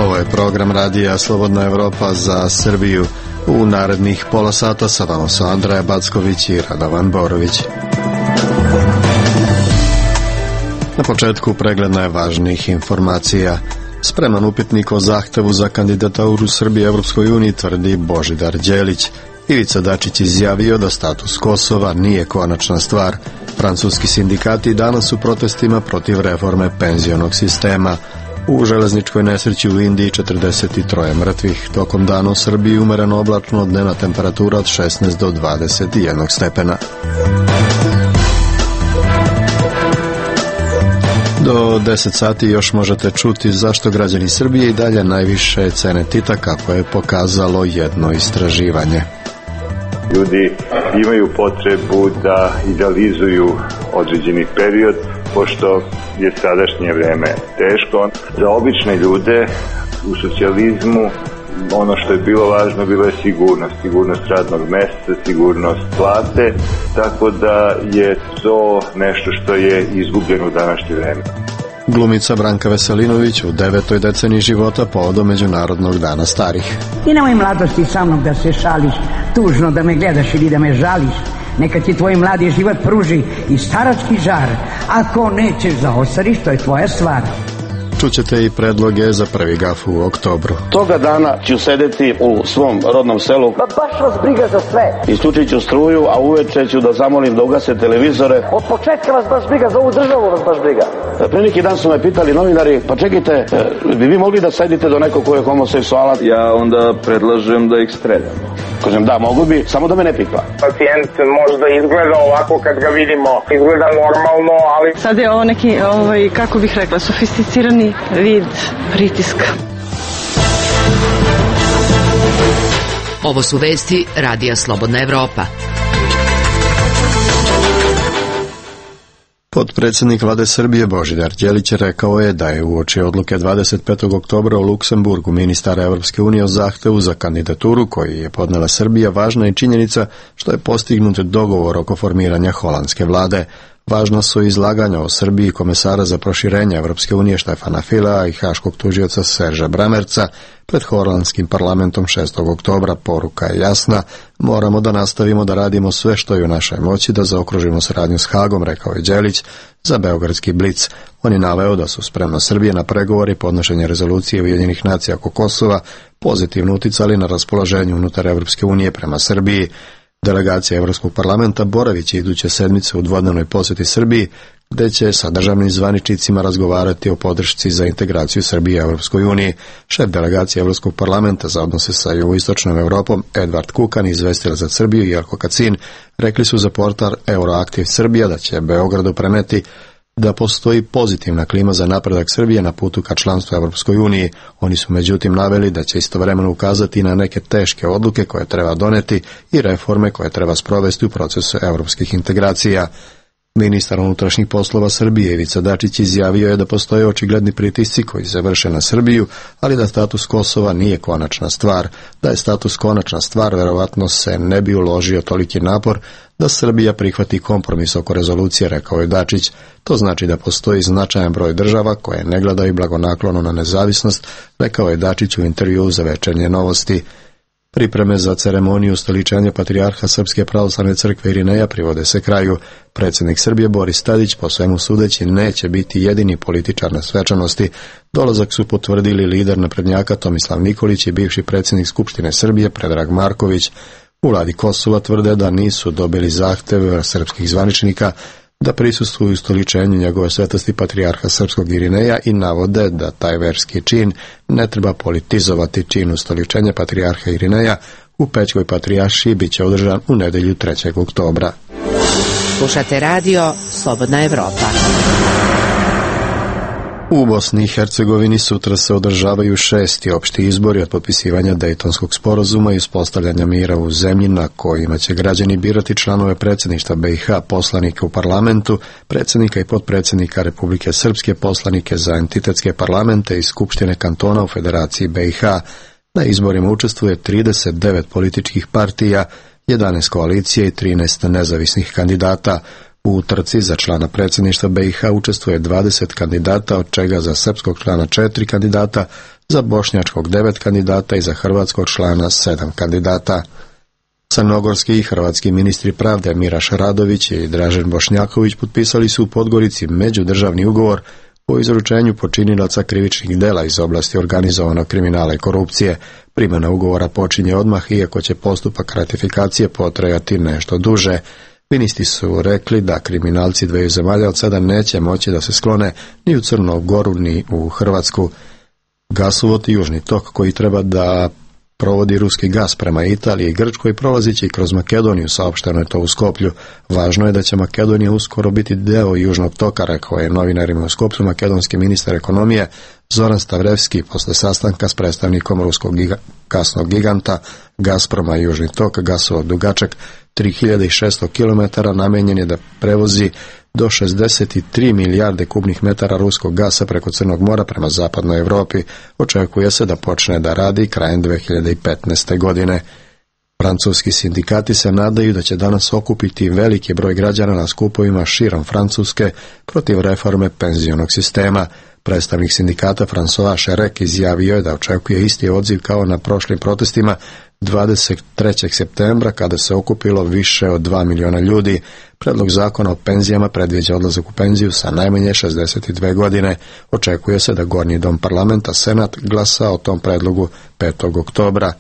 Ovo je program radija Slobodna Evropa za Srbiju. U narednih pola sata sa vama su Andreja Backović i Radovan Borović. Na početku pregled najvažnijih informacija. Spreman upitnik o zahtevu za kandidaturu Srbije Evropskoj uniji, tvrdi Božidar Đelić. Ivica Dačić izjavio da status Kosova nije konačna stvar. Francuski sindikati danas su protestima protiv reforme penzionog sistema. U železničkoj nesreći u Indiji 43 mrtvih. Tokom dana u Srbiji umereno oblačno, dnevna temperatura od 16 do 21 stepena. Do 10 sati još možete čuti zašto građani Srbije i dalje najviše cene Tita, kako je pokazalo jedno istraživanje. Ljudi imaju potrebu da idealizuju određeni period, pošto je sadašnje vreme teško. Za obične ljude u socijalizmu ono što je bilo važno bila je sigurnost radnog mesta, sigurnost plate, tako da je to nešto što je izgubljeno u današnje vreme. Glumica Branka Veselinović u 9. deceniji života povodom Međunarodnog dana starih. I nemoj mladosti sa mnom da se šališ, tužno da me gledaš ili da me žališ. Neka ti tvoj mladi život pruži i starački žar. Ako nećeš da ostariš, to je tvoja stvar. Čućete i predloge za prvi gaf u oktobru. Toga dana ću sedeti u svom rodnom selu. Pa baš vas briga za sve. Isključit ću struju, a uveče ću da zamolim da ugase televizore. Od početka vas baš briga, za ovu državu vas baš briga. Pre neki dan su me pitali novinari, pa čekajte, bi vi mogli da sedite do nekog ko je homoseksualac? Ja onda predlažem da ih streljamo. Kažem da, mogu bi, samo da me ne pipla. Pacijent možda izgleda ovako kad ga vidimo, izgleda normalno, ali... Sad je ovo neki, kako bih rekla, sofisticirani vid pritiska. Ovo su vesti Radija Slobodna Evropa. Potpredsjednik vlade Srbije Božidar Đelić rekao je da je uoči odluke 25. oktobra u Luksemburgu ministara Evropske unije o zahtevu za kandidaturu koji je podnela Srbija važna i činjenica što je postignut dogovor oko formiranja holandske vlade. Važna su izlaganja o Srbiji komesara za proširenje Evropske unije Štefana Filea i haškog tužioca Serža Bramerca pred holandskim parlamentom 6. oktobra. Poruka je jasna, moramo da nastavimo da radimo sve što je u našoj moći da zaokružimo saradnju s Hagom, rekao je Đelić za beogradski Blic. On je naveo da su spremna Srbije na pregovori i podnošenje rezolucije Ujedinjenih nacija oko Kosova pozitivno uticali na raspoloženje unutar Evropske unije prema Srbiji. Delegacija Evropskog parlamenta boravit će iduće sedmice u dvodnevnoj posjeti Srbiji, gde će sa državnim zvaničnicima razgovarati o podršci za integraciju Srbije u Evropskoj uniji. Šef delegacije Evropskog parlamenta za odnose sa jugoistočnom Evropom, Edvard Kukan, izvestila za Srbiju i Jelko Kacin, rekli su za portal Euroaktiv Srbija da će Beogradu preneti da postoji pozitivna klima za napredak Srbije na putu ka članstvu Evropskoj uniji. Oni su međutim naveli da će istovremeno ukazati na neke teške odluke koje treba doneti i reforme koje treba sprovesti u procesu evropskih integracija. Ministar unutrašnjih poslova Srbije Ivica Dačić izjavio je da postoje očigledni pritisci koji se vrše na Srbiju, ali da status Kosova nije konačna stvar. Da je status konačna stvar, verovatno se ne bi uložio toliki napor da Srbija prihvati kompromis oko rezolucije, rekao je Dačić. To znači da postoji značajan broj država koje ne gledaju blagonaklono na nezavisnost, rekao je Dačić u intervjuu za Večernje novosti. Pripreme za ceremoniju ustoličenja patrijarha Srpske pravoslavne crkve Irineja privode se kraju. Predsjednik Srbije Boris Tadić, po svemu sudeći, neće biti jedini političar na svečanosti. Dolazak su potvrdili lider naprednjaka Tomislav Nikolić i bivši predsjednik Skupštine Srbije Predrag Marković. U vladi Kosova tvrde da nisu dobili zahteve srpskih zvaničnika da prisustvuju ustoličenju njegove svetosti patrijarha Srpskog Irineja i navode da taj verski čin ne treba politizovati. Čin ustoličenja patrijarha Irineja u Pećkoj patrijaršiji bit će održan u nedelju 3. oktobra. Slušate radio Slobodna Evropa. U Bosni i Hercegovini sutra se održavaju 6. opšti izbori od potpisivanja Dejtonskog sporazuma i uspostavljanja mira u zemlji, na kojima će građani birati članove predsjedništva BiH, poslanike u parlamentu, predsjednika i potpredsjednika Republike Srpske, poslanike za entitetske parlamente i skupštine kantona u Federaciji BiH. Na izborima učestvuje 39 političkih partija, 11 koalicije i 13 nezavisnih kandidata. U trci za člana predsjedništva BiH učestvuje 20 kandidata, od čega za srpskog člana 4 kandidata, za bošnjačkog 9 kandidata i za hrvatskog člana 7 kandidata. Crnogorski i hrvatski ministri pravde Miraš Radović i Dražen Bošnjaković potpisali su u Podgorici međudržavni ugovor o izručenju počinilaca krivičnih dela iz oblasti organizovanog kriminala i korupcije. Primjena ugovora počinje odmah, iako će postupak ratifikacije potrajati nešto duže. Ministri su rekli da kriminalci dveju zemalja od sada neće moći da se sklone ni u Crnu Goru ni u Hrvatsku. Gasovod Južni tok, koji treba da provodi ruski gas prema Italiji i Grčkoj, prolazići kroz Makedoniju, saopšteno je to u Skoplju. Važno je da će Makedonija uskoro biti deo Južnog toka, rekao je novinarima u Skoplju makedonski ministar ekonomije Zoran Stavrevski posle sastanka s predstavnikom ruskog gasnog giganta Gazproma. Južni tok, gasovod dugačak 3600 km, namenjen je da prevozi do 63 milijarde kubnih metara ruskog gasa preko Crnog mora prema zapadnoj Europi. Očekuje se da počne da radi krajem 2015. godine. Francuski sindikati se nadaju da će danas okupiti veliki broj građana na skupovima širom Francuske protiv reforme penzionog sistema. Predstavnik sindikata François Cherek izjavio je da očekuje isti odziv kao na prošlim protestima 23. septembra, kada se okupilo više od 2 miliona ljudi. Predlog zakona o penzijama predviđa odlazak u penziju sa najmanje 62 godine. Očekuje se da Gornji dom parlamenta, Senat, glasa o tom predlogu 5. oktobra.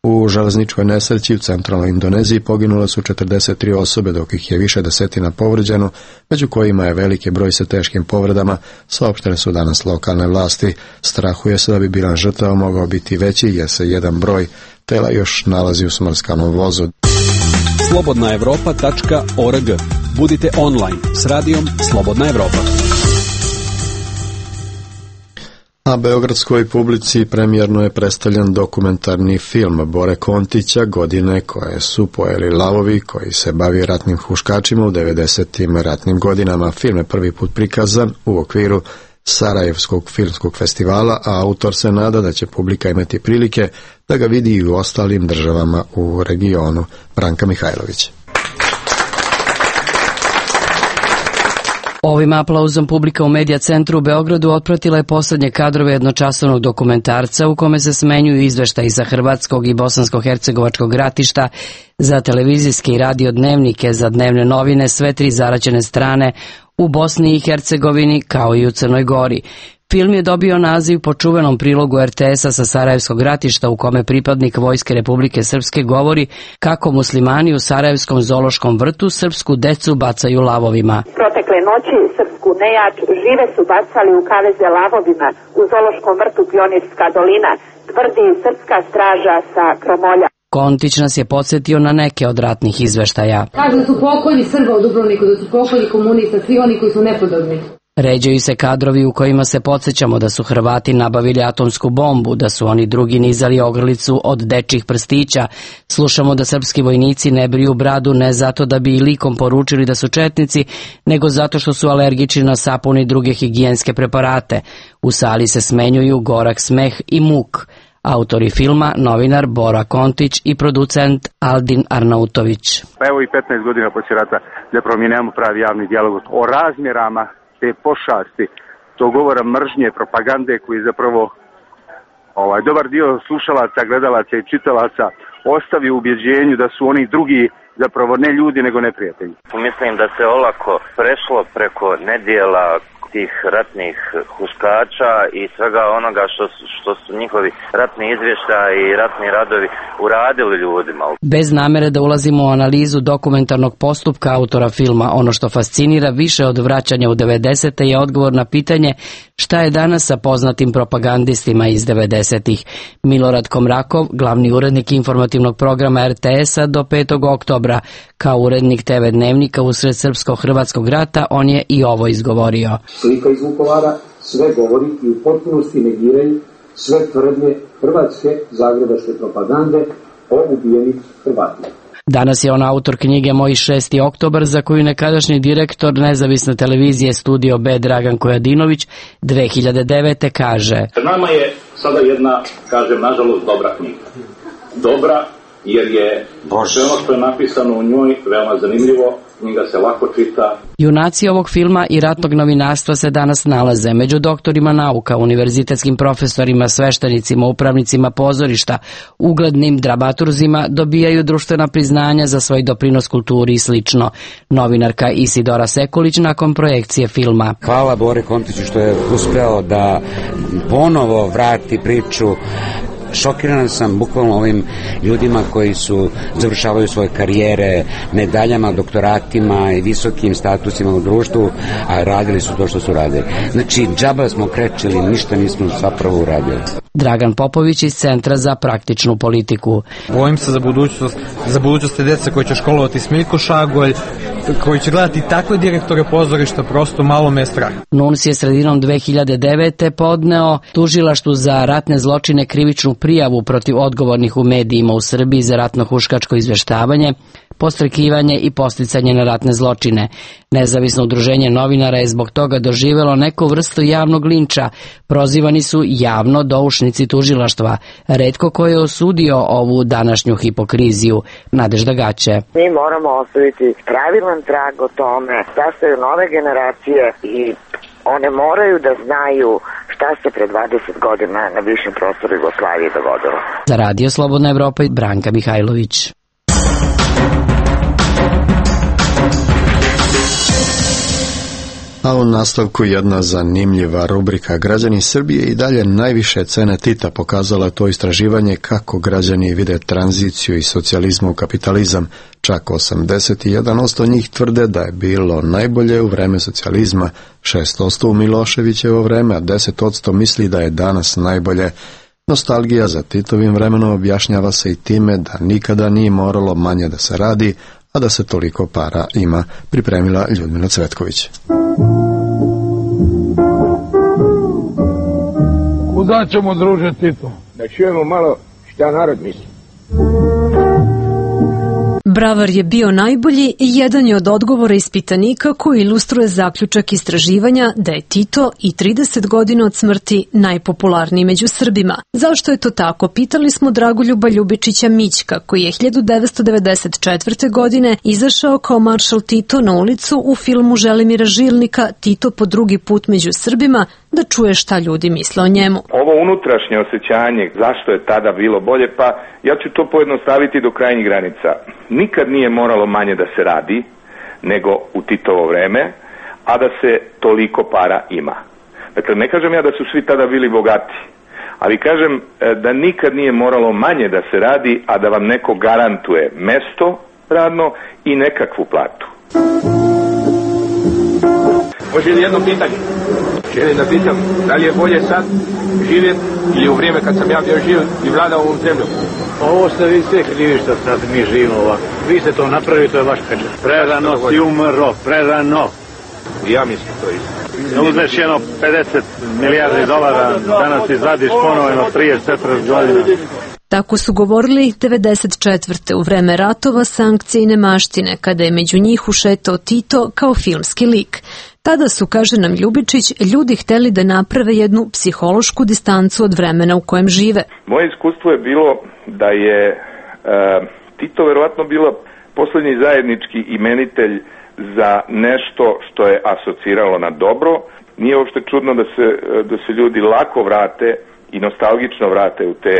U železničkoj nesreći u centralnoj Indoneziji poginule su 43 osobe, dok ih je više desetina povređeno, među kojima je veliki broj sa teškim povredama, saopštene su danas lokalne vlasti. Strahuje se da bi bilan žrtava mogao biti veći, jer se jedan broj tela još nalazi u smrskanom vozu. slobodnaevropa.org. Budite online s radijom Slobodna Evropa. Na beogradskoj publici premijerno je predstavljen dokumentarni film Bore Kontića Godine koje su pojeli lavovi, koji se bavi ratnim huškačima u 90. ratnim godinama. Film je prvi put prikazan u okviru Sarajevskog filmskog festivala, a autor se nada da će publika imati prilike da ga vidi i u ostalim državama u regionu. Branka Mihajlović. Ovim aplauzom publika u Medija centru u Beogradu otpratila je poslednje kadrove jednočasovnog dokumentarca u kome se smenjuju izveštaji za hrvatskog i bosansko-hercegovačkog ratišta, za televizijske i radio dnevnike, za dnevne novine, sve tri zaraćene strane u Bosni i Hercegovini kao i u Crnoj Gori. Film je dobio naziv po čuvenom prilogu RTS-a sa Sarajevskog ratišta, u kome pripadnik Vojske Republike Srpske govori kako muslimani u Sarajevskom zoološkom vrtu srpsku decu bacaju lavovima. Protekle noći srpsku nejač žive su bacali u kaveze lavovima u zoološkom vrtu Pionirska dolina, tvrdi srpska straža sa Kromolja. Kontić nas je podsjetio na neke od ratnih izveštaja. Kažu da su pokolji Srba u Dubrovniku, da su pokolji komunista, svi oni koji su nepodobni. Ređaju se kadrovi u kojima se podsjećamo da su Hrvati nabavili atomsku bombu, da su oni drugi nizali ogrlicu od dečjih prstića. Slušamo da srpski vojnici ne briju bradu ne zato da bi i likom poručili da su četnici, nego zato što su alergični na sapun i druge higijenske preparate. U sali se smenjuju gorak smeh i muk. Autori filma, novinar Bora Kontić i producent Aldin Arnautović. Evo i 15 godina poslije rata zapravo mi nemamo pravi javni dijalog o razmjerama te pošasti, to govora mržnje, propagande koji zapravo dobar dio slušalaca, gledalaca i čitalaca ostavi u ubjeđenju da su oni drugi zapravo ne ljudi nego neprijatelji. Mislim da se olako prešlo preko nedjela tih ratnih huškača i svega onoga što su njihovi ratni izvještaji i ratni radovi uradili ljudima. Bez namere da ulazimo u analizu dokumentarnog postupka autora filma, ono što fascinira više od vraćanja u 90. je odgovor na pitanje šta je danas sa poznatim propagandistima iz 90. Milorad Komrakov, glavni urednik informativnog programa RTS-a do 5. oktobra, kao urednik TV dnevnika usred srpsko-hrvatskog rata, on je i ovo izgovorio. Slika iz Vukovara sve govori i u potpunosti negiraju sve tvrdnje hrvatske zagrebačke propagande o ubijenih Hrvatima. Danas je on autor knjige Moj 6. oktobar, za koju nekadašnji direktor nezavisne televizije Studio B Dragan Kojadinović 2009. kaže: Nama je sada jedna, kažem, nažalost dobra knjiga. Dobra jer je sve ono što je napisano u njoj veoma zanimljivo, knjiga se lako čita. Junaci ovog filma i ratnog novinarstva se danas nalaze među doktorima nauka, univerzitetskim profesorima, sveštenicima, upravnicima pozorišta, uglednim dramaturzima, dobijaju društvena priznanja za svoj doprinos kulturi i slično. Novinarka Isidora Sekulić nakon projekcije filma. Hvala Bori Kontiću što je uspeo da ponovo vrati priču. Šokiran sam bukvalno ovim ljudima koji završavaju svoje karijere medaljama, doktoratima i visokim statusima u društvu, a radili su to što su radili. Znači, džaba smo krečili, ništa nismo zapravo uradili. Dragan Popović iz Centra za praktičnu politiku. Bojim se za budućnost dece koji će školovati Smiljko Šagolj, koji će gledati takve direktore pozorišta, prosto malo me je strah. NUNS je sredinom 2009. podneo tužilaštvu za ratne zločine krivičnu prijavu protiv odgovornih u medijima u Srbiji za ratno-huškačko izveštavanje, podstrekivanje i podsticanje na ratne zločine. Nezavisno udruženje novinara je zbog toga doživelo neku vrstu javnog linča. Prozivani su javno doušnici tužilaštva. Retko ko je osudio ovu današnju hipokriziju. Nadežda Gaće. Mi moramo ostaviti pravilan trag o tome da se nove generacije i one moraju da znaju šta se pre 20 godina na bivšem prostoru Jugoslavije dogodilo. Za Radio Slobodna Evropa, Branka Mihajlović. A u nastavku jedna zanimljiva rubrika. Građani Srbije i dalje najviše cene Tita. Pokazalo je to istraživanje kako građani vide tranziciju iz socijalizma u kapitalizam. Čak 81% njih tvrde da je bilo najbolje u vreme socijalizma, 6% u Miloševićevo vreme, a 10% misli da je danas najbolje. Nostalgija za Titovim vremenom objašnjava se i time da nikada nije moralo manje da se radi, a da se toliko para ima, pripremila Ljudmila Cvetković. Kuda ćemo, druže Tito? Da čujemo malo šta narod misli. Bravar je bio najbolji i jedan je od odgovora ispitanika koji ilustruje zaključak istraživanja da je Tito i 30 godina od smrti najpopularniji među Srbima. Zašto je to tako? Pitali smo Dragoljuba Ljubičića Mićka, koji je 1994. godine izašao kao maršal Tito na ulicu u filmu Želimira Žilnika Tito po drugi put među Srbima, da čuje šta ljudi misle o njemu. Ovo unutrašnje osjećanje, zašto je tada bilo bolje, pa ja ću to pojednostaviti do krajnjih granica. Nikad nije moralo manje da se radi nego u Titovo vreme, a da se toliko para ima. Dakle, ne kažem ja da su svi tada bili bogati, ali kažem da nikad nije moralo manje da se radi, a da vam neko garantuje mesto radno i nekakvu platu. Može li jedno pitanje? Želim da pitam, da li je bolje sad živjeti ili u vrijeme kad sam ja bio živ i vladao ovom zemljom? Ovo ste vi sve krivi što sad mi živimo ovako. Vi ste to napravili, to je vaš pečat. Prerano si umro, prerano. Ja mislim to isto. Uzmeš jedno 50 milijardi dolara, danas izvadiš ponovno 34 godina. Tako su govorili 94. u vreme ratova, sankcije i nemaštine, kada je među njih ušetao Tito kao filmski lik. Tada su, kaže nam Ljubičić, ljudi hteli da naprave jednu psihološku distancu od vremena u kojem žive. Moje iskustvo je bilo da je Tito verovatno bila poslednji zajednički imenitelj za nešto što je asociralo na dobro. Nije uopšte čudno da se ljudi lako vrate i nostalgično vrate u te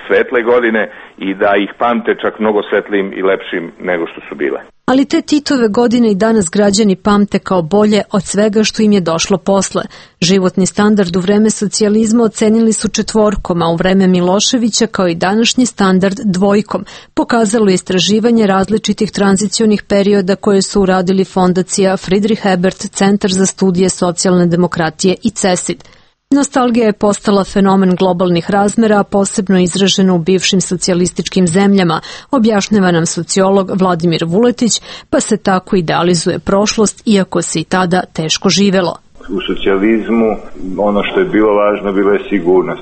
svetle godine i da ih pamte čak mnogo svetlijim i lepšim nego što su bile. Ali te Titove godine i danas građani pamte kao bolje od svega što im je došlo posle. Životni standard u vreme socijalizma ocenili su 4, a u vreme Miloševića kao i današnji standard 2. Pokazalo je istraživanje različitih tranzicionih perioda koje su uradili fondacija Friedrich Ebert, Centar za studije socijalne demokratije i CESID. Nostalgija je postala fenomen globalnih razmera, posebno izraženo u bivšim socijalističkim zemljama, objašnjava nam sociolog Vladimir Vuletić, pa se tako idealizuje prošlost, iako se i tada teško živelo. U socijalizmu ono što je bilo važno bilo je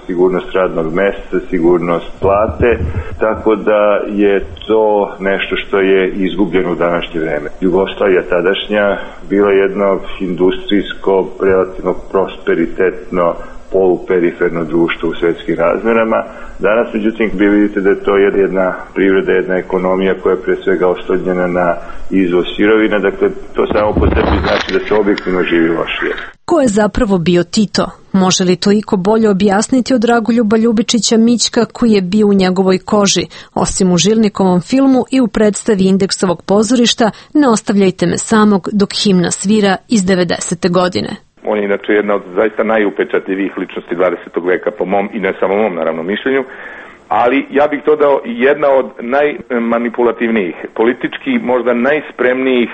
sigurnost radnog mesta, sigurnost plate, tako da je to nešto što je izgubljeno u današnje vreme. Jugoslavija tadašnja bila jedno industrijsko, relativno prosperitetno poluperiferno društvo u svetskim razmerama. Danas, međutim, vi vidite da je to jedna privreda, jedna ekonomija koja je pre svega oslonjena na izvoz sirovina, dakle to samo po sebi znači da se objektivno živi lošije. Ko je zapravo bio Tito? Može li to iko bolje objasniti od Dragoljuba Ljubičića Mićka koji je bio u njegovoj koži, osim u Žilnikovom filmu i u predstavi Indeksovog pozorišta Ne ostavljajte me samog dok himna svira iz 90. godine. On je inače jedna od zaista najupečatljivijih ličnosti 20. veka po mom i ne samo mom naravno mišljenju, ali ja bih to dao jedna od najmanipulativnijih, politički možda najspremnijih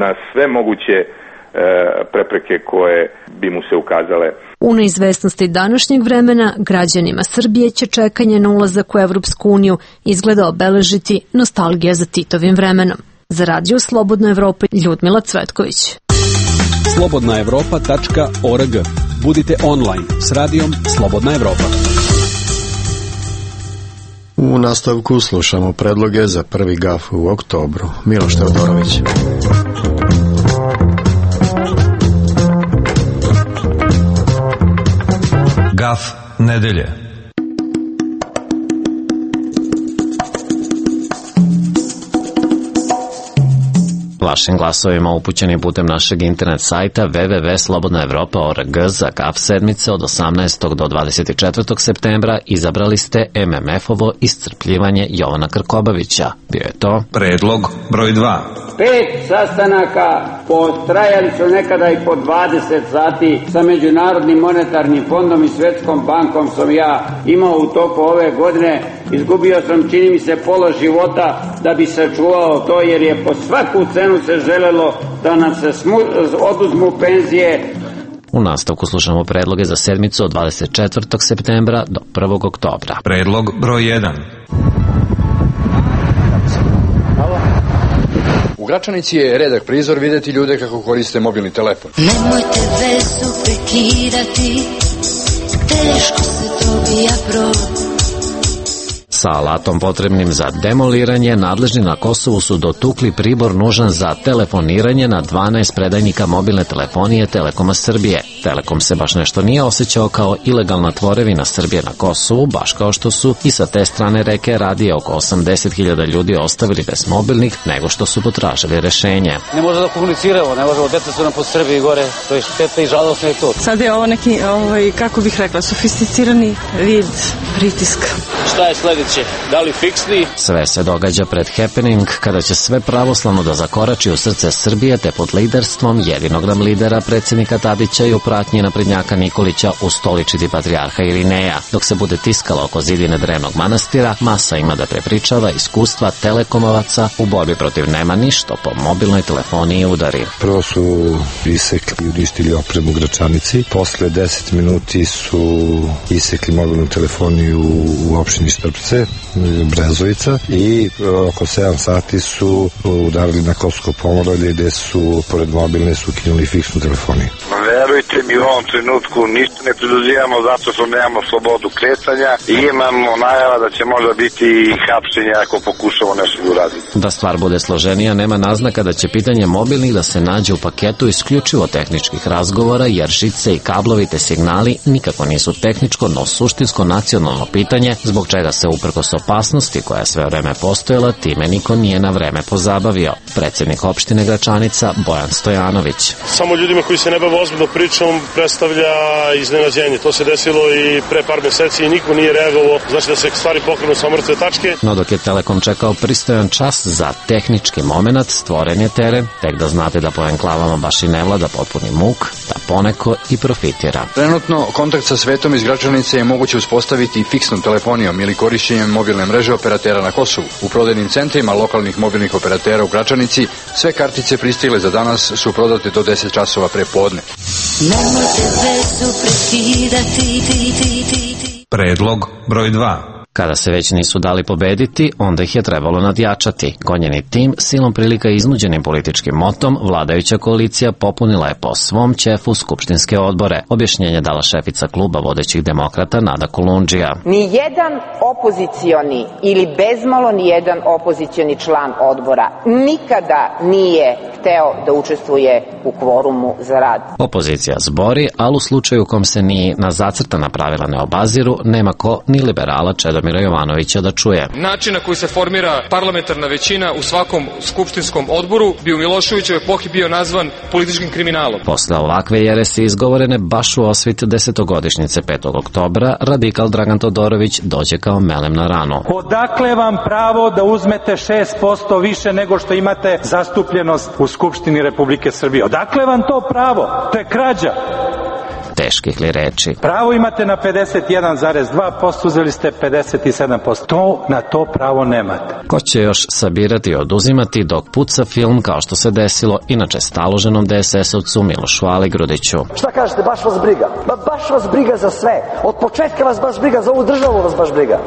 na sve moguće prepreke koje bi mu se ukazale. U neizvesnosti današnjeg vremena građanima Srbije će čekanje na ulazak u Evropsku uniju izgleda obeležiti nostalgija za Titovim vremenom. Za Radio Slobodna Evropa, Ljudmila Cvetković. slobodnaevropa.org. Budite online s radijom Slobodna Evropa. U nastavku slušamo predloge za prvi gaf u oktobru. Miloš Teodorović. Gaf nedelje. Vašim glasovima upućeni putem našeg internet sajta www.slobodnaevropa.org za GAF sedmice od 18. do 24. septembra izabrali ste MMF-ovo iscrpljivanje Jovana Krkobabića. Bio je to predlog broj 2. 5 sastanaka potrajali su nekada i po 20 sati sa Međunarodnim monetarnim fondom i Svetskom bankom sam ja imao u toku ove godine. Izgubio sam, čini mi se, pola života da bi sačuvao to, jer je po svaku cenu se želelo da nam se oduzmu penzije. U nastavku slušamo predloge za sedmicu od 24. septembra do 1. oktobra. Predlog broj 1. U Gračanici je redak prizor videti ljude kako koriste mobilni telefon. Nemojte vezu prekidati, teško se dobija brod. Sa alatom potrebnim za demoliranje, nadležni na Kosovu su dotukli pribor nužan za telefoniranje na 12 predajnika mobilne telefonije Telekoma Srbije. Telekom se baš nešto nije osjećao kao ilegalna tvorevina Srbije na Kosovu, baš kao što su i sa te strane reke radije oko 80.000 ljudi ostavili bez mobilnih, nego što su potražili rešenje. Ne možemo da komuniciramo, ne možemo, deca su nam po Srbiji gore, to je šteta i žalostno je to. Sad je ovo neki, kako bih rekla, sofisticirani vid pritiska. Šta je sledeće? Da li fiksni? Sve se događa pred happening, kada će sve pravoslavno da zakorači u srce Srbije, te pod liderstvom jedinog nam lidera, predsjednika Tadića i u pratnji naprednjaka Nikolića ustoličiti patrijarha Irineja. Dok se bude tiskala oko zidine drevnog manastira, masa ima da prepričava iskustva telekomovaca u borbi protiv nemani što po mobilnoj telefoniji udari. Prvo su isekli i uništili opremu u Gračanici, posle 10 minuti su isekli mobilnu telefoniju u opštini Štrpce, Brezovica, i oko 7 sati su udarili na Kosovo Pomoravlje gde su pored mobilne su ukinuli fiksnu telefoniju. Verujte mi, u ovom trenutku ništa ne preduzimamo zato što nemamo slobodu kretanja i imamo najava da će možda biti hapšenja ako pokušamo nešto da uraditi. Da stvar bude složenija, nema naznaka da će pitanje mobilnih da se nađe u paketu isključivo tehničkih razgovora, jer žice i kablovi te signali nikako nisu tehničko, no suštinsko nacionalno pitanje, zbog čega se uprkos opasnosti koja je sve vreme postojala, time niko nije na vreme pozabavio. Predsjednik opštine Gračanica Bojan Stojanović. Samo ljudima koji se ne bave ozbiljno pričom predstavlja iznenađenje. To se desilo i pre par meseci i niko nije reagovao, znači da se stvari pokrenu sa mrtve tačke. No dok je Telekom čekao pristojan čas za tehnički moment, stvoren je teren, tek da znate da po enklavama baš i ne vlada potpuni muk, da poneko i profitira. Trenutno kontakt sa svetom iz Gračanice je moguće uspostaviti fiksnom telefonijom ili korišćenjem mobilne mreže operatera na Kosovu. U prodajnim centrima lokalnih mobilnih operatera u Gračanici sve kartice pristigle za danas su prodate do 10 časova pre podne. Nemojte vezu prekidati. Predlog broj 2. Kada se već nisu dali pobediti, onda ih je trebalo nadjačati. Gonjeni tim, silom prilika iznuđenim političkim motom, vladajuća koalicija popunila je po svom ćefu skupštinske odbore. Objašnjenje dala šefica kluba vodećih demokrata Nada Kolundžija. Nijedan opozicioni ili bezmalo nijedan opozicioni član odbora nikada nije hteo da učestvuje u kvorumu za rad. Opozicija zbori, ali u slučaju u kom se ni na zacrtana pravila ne obaziru, nema ko ni liberala Čedomira Jovanovića da čuje. Način na koji se formira parlamentarna većina u svakom skupštinskom odboru bi u Miloševićevoj epohi bio nazvan političkim kriminalom. Posle ovakve jeresi izgovorene baš u osvit 10-godišnjice 5. oktobra, radikal Dragan Todorović dođe kao melem na ranu. Odakle vam pravo da uzmete 6% više nego što imate zastupljenost u Skupštini Republike Srbije? Odakle vam to pravo? To je krađa. Teških li reči? Pravo imate na 51,2%, uzeli ste 57%. Na to pravo nemate. Ko će još sabirati i oduzimati dok puca film kao što se desilo inače staloženom DSS-ovcu Milošu Aligrudiću? Šta kažete, baš vas briga? Baš vas briga za sve. Od početka vas baš briga, za ovu državu vas baš briga.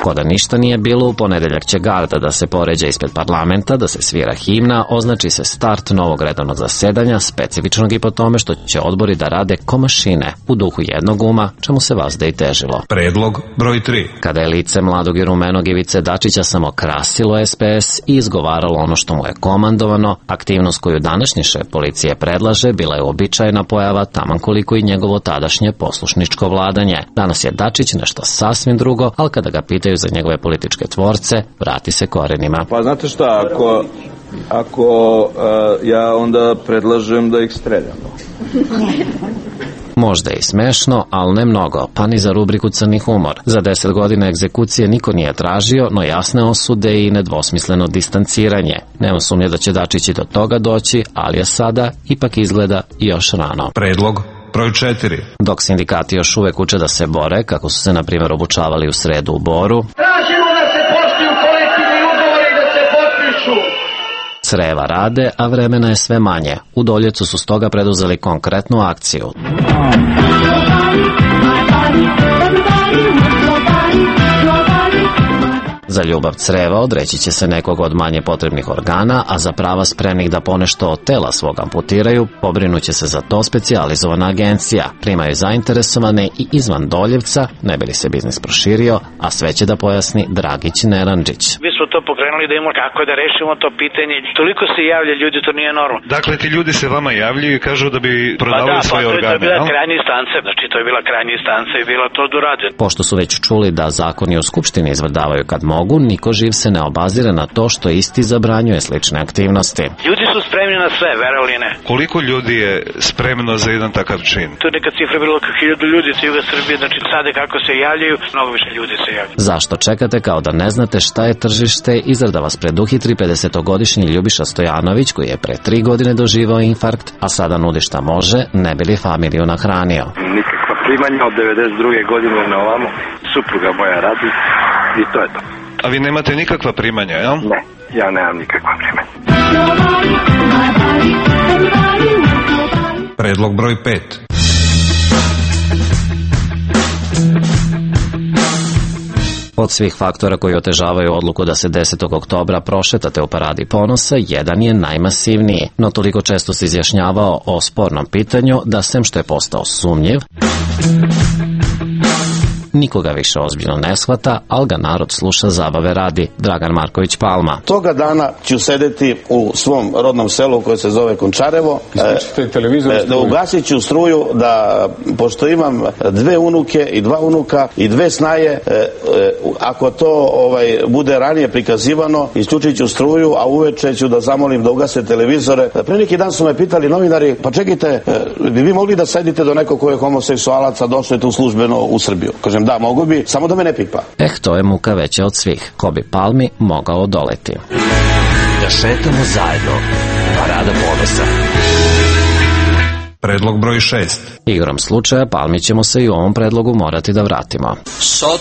Ko da ništa nije bilo, u ponedeljak će garda da se poređa ispred parlamenta, da se svira himna, označi se start novog redovnog zasedanja, specifičnog i po tome što će odbori da rade ko mašine, u duhu jednog uma, čemu se vazda i težilo. Predlog broj 3. Kada je lice mladog i rumenog Ivice Dačića samo krasilo SPS i izgovaralo ono što mu je komandovano, aktivnost koju današnji šef policije predlaže bila je uobičajena pojava, taman koliko i njegovo tadašnje poslušničko vladanje. Danas je Dačić nešto sasvim drugo, ali kada ga pitaju za njegove političke tvorce, vrati se korenima. Pa znate šta, ako ja onda predlažem da ih streljamo. Možda je i smešno, ali ne mnogo, pa ni za rubriku Crni humor. Za 10 godina egzekucije niko nije tražio, no jasne osude i nedvosmisleno distanciranje. Nema sumnje da će Dačić i do toga doći, ali je sada ipak izgleda još rano. Predlog broj 4. Dok sindikati još uvek uče da se bore, kako su se na primjer obučavali u sredu u Boru, tražimo da se poštuju kolektivni ugovori i da se potpišu. Creva rade, a vremena je sve manje. U Doljevcu su stoga preduzeli konkretnu akciju. Za ljubav creva odreći će se nekog od manje potrebnih organa, a za prava spremnih da ponešto od tela svog amputiraju, pobrinuće se za to specijalizovana agencija. Primaju zainteresovane i izvan Doljevca, ne bi li se biznis proširio, a sve će da pojasni Dragić Neranđić. Mi smo to pokrenuli da imamo kako da rešimo to pitanje. Toliko se javlja ljudi, to nije normalno. Dakle, ti ljudi se vama javljaju i kažu da bi prodavali svoje organe. To je bila krajnja instanca, znači to je bila krajnja instanca i bila to dorađeno. Pošto su već čuli da zakoni u Skupštini izvrdavaju kad mogu, niko živ se ne obazire na to što isti zabranjuje slične aktivnosti. Ljudi su spremni na sve, verovali ne. Koliko ljudi je spremno za jedan takav čin? To je neka cifra bilo kao 1000 ljudi sa juga Srbije, znači sada kako se javljaju, mnogo više ljudi se javljaju. Zašto čekate kao da ne znate šta je tržište? Izrada vas preduhitri 50-godišnji Ljubiša Stojanović, koji je pre 3 godine doživao infarkt, a sada nudi šta može, ne bi li familiju nahranio. Nikakva primanja od 92. godine na ovamo, supruga moja radi i to je to. A vi nemate nikakva primanja, jel? Ne, ja nemam nikakva primanja. Predlog broj 5. Od svih faktora koji otežavaju odluku da se 10. oktobra prošetate u paradi ponosa, jedan je najmasivniji, no toliko često se izjašnjavao o spornom pitanju da sem što je postao sumnjiv, nikoga više ozbiljno ne shvata, ali ga narod sluša zabave radi. Dragan Marković Palma. Toga dana ću sedeti u svom rodnom selu koje se zove Končarevo, da ugasit ću struju, da pošto imam 2 unuke i 2 unuka i 2 snaje, ako to bude ranije prikazivano, isključit ću struju, a uveče ću da zamolim da ugase televizore. Pre neki dan su me pitali novinari, pa čekajte, bi vi mogli da sedite do nekog ko je homoseksualac, a došli tu službeno u Srbiju? Kažem, da, mogu bi, samo da me ne pipa. To je muka veća od svih. Ko bi Palmi mogao odoleti? Da šetamo zajedno. Parada ponosa. Predlog broj 6. Igrom slučaja Palmi ćemo se i u ovom predlogu morati da vratimo. Sad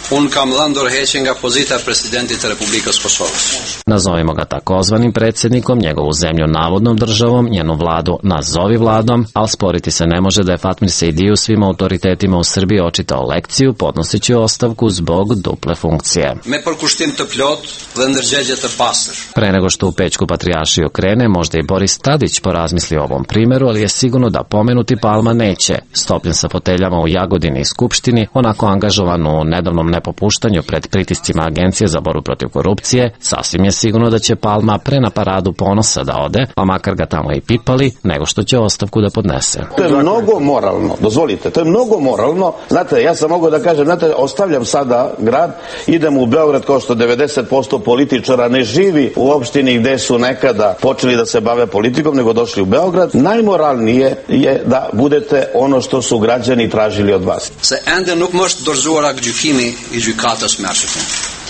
Unë kam dhënë dorëheqje nga pozita e presidentit të Republikës Kosovës. Nazovimo ga takozvanim predsjednikom, njegovu zemlju navodnom državom, njenu vladu nazovi vladom, ali sporiti se ne može da je Fatmir Sejdiju svim autoritetima u Srbiji očitao lekciju, podnoseći ostavku zbog duple funkcije. Me përkushtim të plot dhe ndërgjegje të pastër. Pre nego što u Pećku patrijaršiju krene, možda i Boris Tadić porazmisli o ovom primjeru, ali je sigurno da pomenuti Palma neće. Stopljen sa foteljama u Jagodini i Skupštini, onako angažovan u nedavnom nepopuštanju pred pritiscima Agencije za borbu protiv korupcije, sasvim je sigurno da će Palma pre na paradu ponosa da ode, pa makar ga tamo i pipali, nego što će ostavku da podnese. To je mnogo moralno, dozvolite, to je mnogo moralno. Znate, ja sam mogao da kažem, znate, ostavljam sada grad, idem u Beograd, kao što 90% političara ne živi u opštini gde su nekada počeli da se bave politikom, nego došli u Beograd. Najmoralnije je da budete ono što su građani tražili od vas. Se ende nuk më është dorëzuar gjykimi i gjykatës mërshme.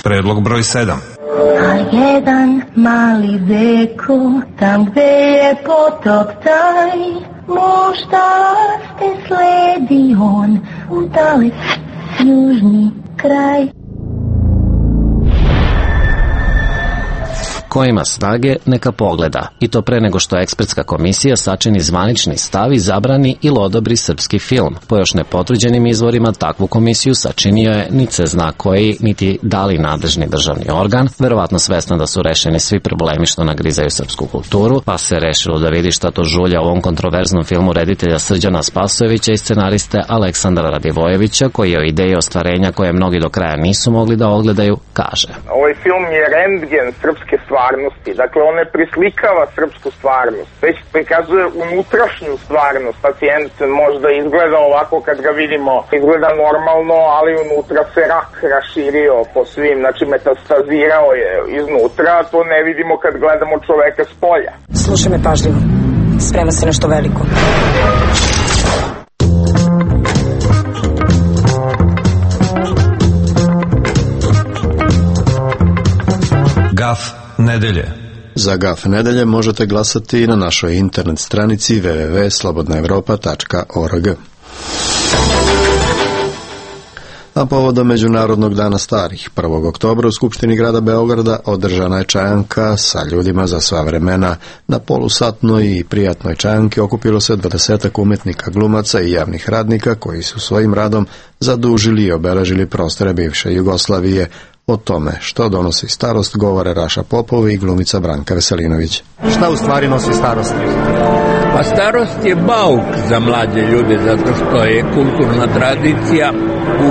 Predlog broj 7. A jedan mali deko, tam gde je potok taj, možda te sledi on u dalek južni kraj. Ko ima snage, neka pogleda, i to pre nego što ekspertska komisija sačini zvanični stav i zabrani ili odobri srpski film. Po još nepotvrđenim izvorima takvu komisiju sačinio je niti se zna koji, niti da li nadležni državni organ, verovatno svesno da su rešeni svi problemi što nagrizaju srpsku kulturu, pa se rešilo da vidi šta to žulja u ovom kontroverznom filmu reditelja Srđana Spasojevića i scenariste Aleksandra Radivojevića, koji o ideji ostvarenja koje mnogi do kraja nisu mogli da ogledaju, kaže. Ovaj film je rentgen srpske stvarnosti. Dakle, on ne prislikava srpsku stvarnost, već prikazuje unutrašnju stvarnost. Pacijent možda izgleda ovako kad ga vidimo, izgleda normalno, ali unutra se rak raširio po svim, znači metastazirao je iznutra, to ne vidimo kad gledamo čoveka s polja. Slušaj me pažljivo, sprema se nešto veliko. Gaf nedelje. Za Gaf nedelje možete glasati i na našoj internet stranici www.slobodnaevropa.org. A povodom Međunarodnog dana starih, 1. oktobra u Skupštini grada Beograda održana je čajanka sa ljudima za sva vremena. Na polusatnoj i prijatnoj čajanki okupilo se 20 umetnika, glumaca i javnih radnika koji su svojim radom zadužili i obeležili prostore bivše Jugoslavije. O tome što donosi starost govore Raša Popov i glumica Branka Veselinović. Šta u stvari nosi starost? Pa starost je bauk za mlađe ljude, zato što je kulturna tradicija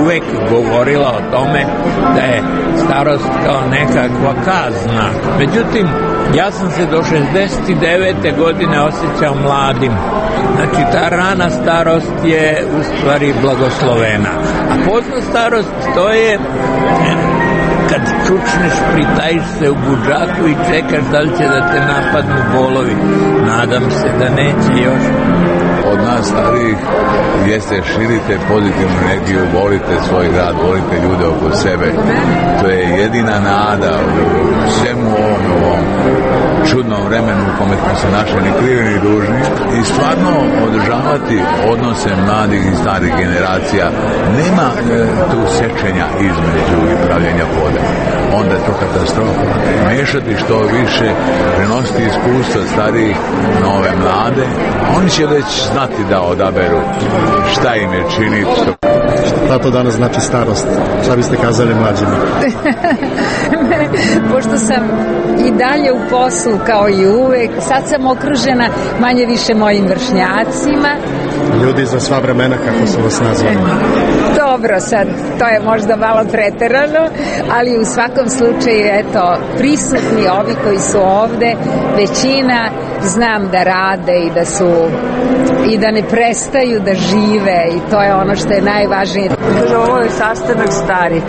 uvek govorila o tome da je starost kao nekakva kazna. Međutim, ja sam se do 69. godine osjećao mladim. Znači, ta rana starost je u stvari blagoslovena. A pozna starost to je kad čučneš, pritajiš se u budžaku i čekaš da li će da te napadnu bolovi. Nadam se da neće još. Od nas starijih jeste širite pozitivnu energiju, volite svoj grad, volite ljude oko sebe. To je jedina nada u svemu ovom čudnom vremenu u kome smo se našli ni krivi ni dužni i stvarno održavati odnose mladih i starih generacija. Nema tu sečenja između i pravljenja podela. Onda je to katastrofa. Mešati što više, prenositi iskustva starijih na ove mlade, oni će već znati da odaberu šta im je činiti. Šta to danas znači starost? Šta biste kazali mlađima? Pošto sam i dalje u poslu kao i uvek, sad sam okružena manje više mojim vršnjacima. Ljudi za sva vremena, kako su vas nazvali? Dobro, sad, to je možda malo preterano, ali u svakom slučaju, eto, prisutni ovi koji su ovde, većina znam da rade i da ne prestaju da žive i to je ono što je najvažnije. Kaže, ovo je sastanak stari,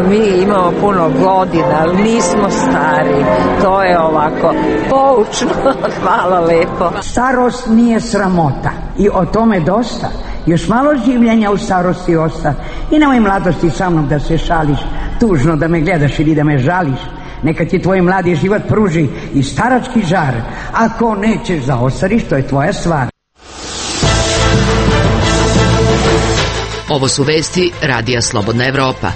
mi imamo puno godina, ali nismo stari, to je ovako poučno, hvala lepo. Starost nije sramota i o tome dosta. Još malo življenja u starosti osta. I nemoj mladosti sa mnom da se šališ, tužno da me gledaš ili da me žališ. Neka ti tvoj mladi život pruži i starački žar. Ako nećeš da ostariš, to je tvoja stvar. Ovo su vesti Radija Slobodna Evropa.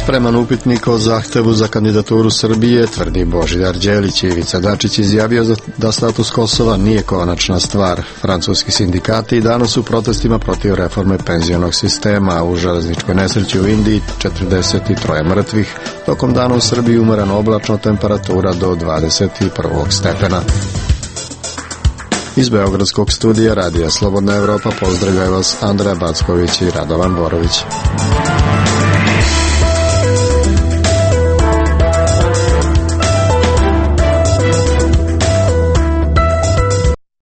spreman upitnik o zahtevu za kandidaturu Srbije, tvrdi Božidar Đelić. Ivica Dačić izjavio da status Kosova nije konačna stvar. Francuski sindikati i danas u protestima protiv reforme penzionog sistema. U železničkoj nesreći u Indiji 43 mrtvih. Tokom dana u Srbiji umereno oblačno, temperatura do 21. stepena. Iz Beogradskog studija Radija Slobodna Evropa pozdravljaju vas Andreja Backović i Radovan Borović.